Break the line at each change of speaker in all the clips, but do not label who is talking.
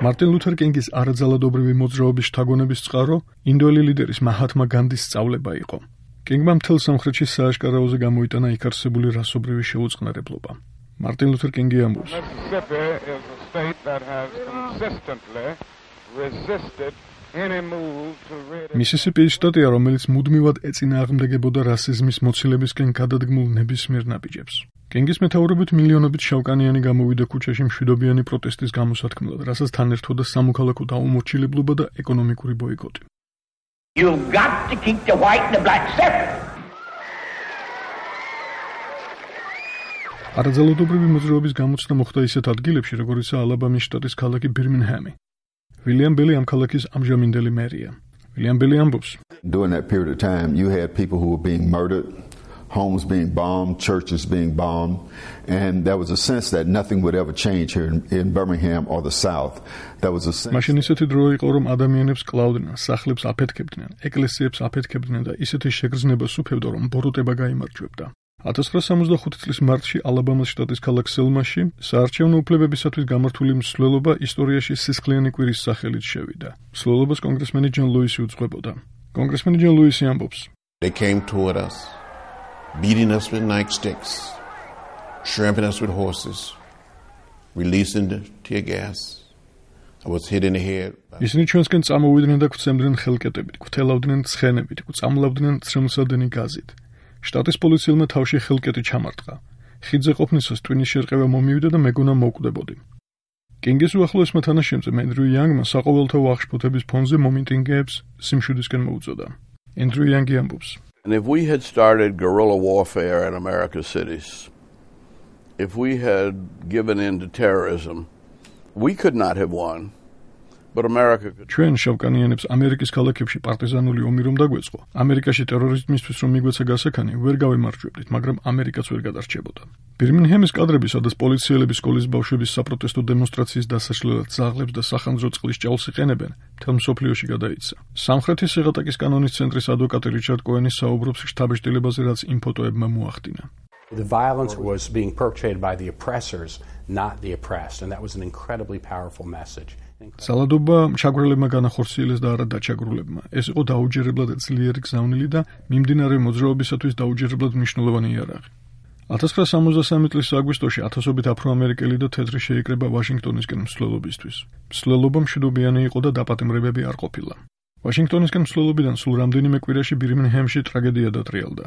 მარტინ ლუთერ კინგის არაძალადობრივი მოძრაობის შთაგონების წყარო ინდოელი ლიდერის მაჰათმა განდის სწავლება იყო. კინგმა მთელ სამხრეთში სააშკარაოზე გამოიტანა იქ არსებული რასობრივი შეუწყნარებლობა. მარტინ ლუთერ კინგი ამბობს: მისისიპი ის შტატია, რომელიც მუდმივად ეწინააღმდეგებოდა რასიზმის მოცილებისკენ გადადგმულ ნებისმიერ ნაბიჯებს. კინგის მეთაურობით მილიონობით შავკანიანი გამოვიდა ქუჩაში მშვიდობიანი პროტესტის გამოსათქმელად, რასაც თან ერთვოდა სამოქალაქო დაუმორჩილებლობა და ეკონომიკური ბოიკოტი.
You've got to keep the white and the black separate.
არაძალადობრივი მოძრაობის გამოცდა მოხდა ისეთ ადგილებში, როგორიცაა ალაბამის შტატის ქალაქი ბირმინჰემი. ვილიამ ბელი ამ ქალაქის ამჟამინდელი მერია. ვილიამ ბელი ამბობს:
During that period of time, you had people who were being murdered, homes being bombed, churches being bombed, and there was a sense that nothing would ever change here in Birmingham or the South. There was a sense.
მაშინ ისეთი დრო იყო, რომ ადამიანებს კლავდნენ, სახლებს აფეთქებდნენ, ეკლესიებს აფეთქებდნენ და ისეთი შეგრძნებას უფევდა, რომ ბოროტება გაიმარჯვებდა. 1965 წლის მარტში ალაბამის შტატის ქალაქ სელმაში საარჩევნო უფლებებისათვის გამართული მსვლელობა ისტორიაში სისხლიანი კვირის სახელით შევიდა. მსვლელობას კონგრესმენი ჯონ ლუისი უძღვებოდა. კონგრესმენი ჯონ ლუისი ამბობს:
They came toward us, beating us with nightsticks, trampling us with horses, releasing the tear gas. I was hit in the head.
ისინი ჩვენსკენ წამოვიდნენ და გვცემდნენ ხელკეტებით, გვთელავდნენ ცხენებით, გვწამლავდნენ ცრემლსადენი გაზით. შტატის პოლიციელმა თავში ხელკეტი ჩამარტყა. ხიდზე ყოფნისას ტვინის შერყევა მომივიდა და მეგონა მოვკვდებოდი. კინგის უახლოესმა თანაშემწე ენდრიუ იანგმა საყოველთაო აღშფოთების ფონზე მომიტინგეებს სიმშვიდისკენ მოუწოდა. ენდრიუ იანგი ამბობს:
And if we had started guerrilla warfare in America's cities, if we had given in to terrorism, we could not have won. But America could.
ჩვენ შავკანიანებს ამერიკის ქალაქებში პარტიზანული ომი რომ დაგვეწყო, ამერიკაში ტერორიზმისთვის რომ მიგვეცა გასაქანი, ვერ გავემარჯვებდით, მაგრამ ამერიკაც ვერ გადარჩებოდა. ბირმინჰემის კადრები, სადაც პოლიციელები სკოლის ბავშვების საპროტესტო დემონსტრაციის დასაშლელად ძაღლებს და სახანძრო წყლის ჭაილს იყენებენ, მთელ მსოფლიოში გადაიცა. სამხრეთის შეღატაკის კანონის ცენტრის ადვოკატი რიჩარდ კოენი საუბრობს შთაბეჭდილებაზე, რაც იმ ფოტოებმა მოახდინა.
The violence was being perpetrated by the oppressors, not the oppressed, and that was an incredibly powerful message.
ძალადობა ჩაგვრელებმა განახორციელეს და არა დაჩაგრულებმა. ეს იყო დაუჯერებლად ძლიერი გზავნილი და მიმდინარე მოძრაობისათვის დაუჯერებლად მნიშვნელოვანი იარაღი. 1963 წლის აგვისტოში ათასობით აფროამერიკელი და თეთრი შეიკრება ვაშინგტონისკენ მსვლელობისთვის. მსვლელობა მშვიდობიანი იყო და დაპატიმრებები არ ყოფილა. ვაშინგტონისკენ მსვლელობიდან სულ რამდენიმე კვირაში ბირმინჰემში ტრაგედია დატრიალდა.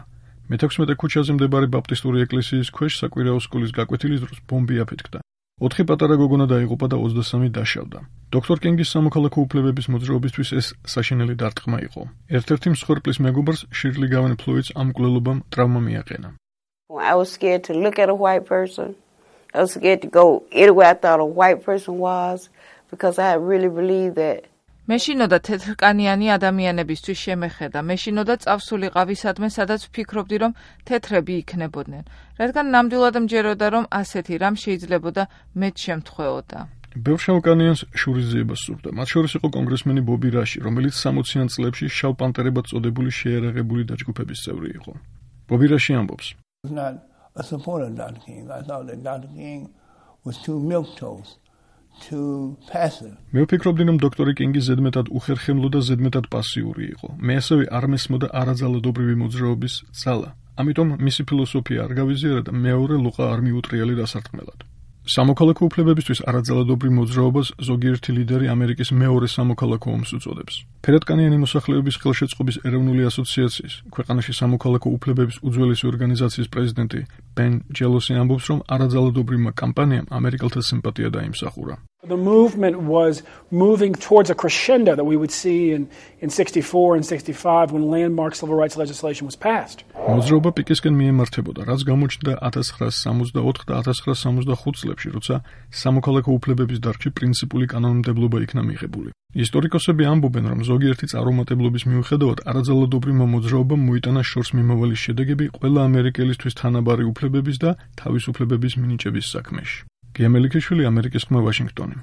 მე-16 ქუჩაზე მდებარე ბაპტისტური ეკლესიის ქვეშ საკვირაო სკოლის გაკვეთილის დროს ბომბი აფეთქდა. 4 პატარა გოგონა დაიღუპა და 23 დაშავდა. დოქტორ კინგის სამოქალაქო უფლებების მოძრაობისთვის ეს საშინელი დარტყმა იყო. ერთ-ერთი მსხვერპლის მეგობარს შირლი გავენ ფლოიდს ამ მკვლელობამ ტრავმა მიაყენა.
I was scared to look at a white person. I was scared to go anywhere I thought a white person was because I really believed that
მე შინოდა თეთრკანიანი ადამიანებისთვის შემეხედა. მე შინოდა წავსულიყავი სადმე, სადაც ვფიქრობდი, რომ თეთრები იქნებოდნენ. რადგან ნამდვილად მჯეროდა, რომ ასეთი რამ შეიძლებოდა მეც შემთხვეოდა.
ბევრ შავკანიანს შურისძიება სურდა. მათ შორის იყო კონგრესმენი ბობი რაში, რომელიც 60-იან წლებში შავ პანტერებად წოდებული შეიარაღებული დაჯგუფების წევრი იყო. ბობი რაში ამბობს:
Not a supporter of Dr. King. I thought that Dr. King was too milquetoast.
მე ვფიქრობდი, რომ დოქტორი კინგი ზედმეტად უხერხემლო და ზედმეტად პასიური იყო. მე ასევე არ მესმოდა არაძალადობრივი მოძრაობის ძალა. ამიტომ მისი ფილოსოფია არ გავიზიარა და მეორე ლოყა არ მიუტრიალე დასარტყმელად. სამოქალაქო უფლებებისთვის არაძალადობრივ მოძრაობას ზოგიერთი ლიდერი ამერიკის მეორე სამოქალაქო ომს უწოდებს. ფერადკანიანი მოსახლეობის ხელშეწყობის ეროვნული ასოციაციის, ქვეყანაში სამოქალაქო უფლებების უძველესი ორგანიზაციის პრეზიდენტი ბენ ჯელოსი ამბობს, რომ არაძალადობრივმა კამპანიამ ამერიკელთა სიმპათია დაიმსახურა.
The movement was moving towards a crescendo that we would see in 64 and 65 when landmark civil rights legislation was passed.
მოძრაობა პიკისკენ მიემართებოდა, რაც გამოჩნდა 1964 და 1965 წლებში, როცა სამოქალაქო უფლებების დარგში პრინციპული კანონმდებლობა იქნა მიღებული. ისტორიკოსები ამბობენ, რომ ზოგიერთი წარუმატებლობის მიუხედავად არაძალადობრივმა მოძრაობამ მოიტანა შორს მიმავალი შედეგები ყველა ამერიკელისთვის თანაბარი უფლებების და თავისუფლებების მინიჭების საქმეში. გიამელიქიშვილი, ამერიკის ხმა, ვაშინგტონი.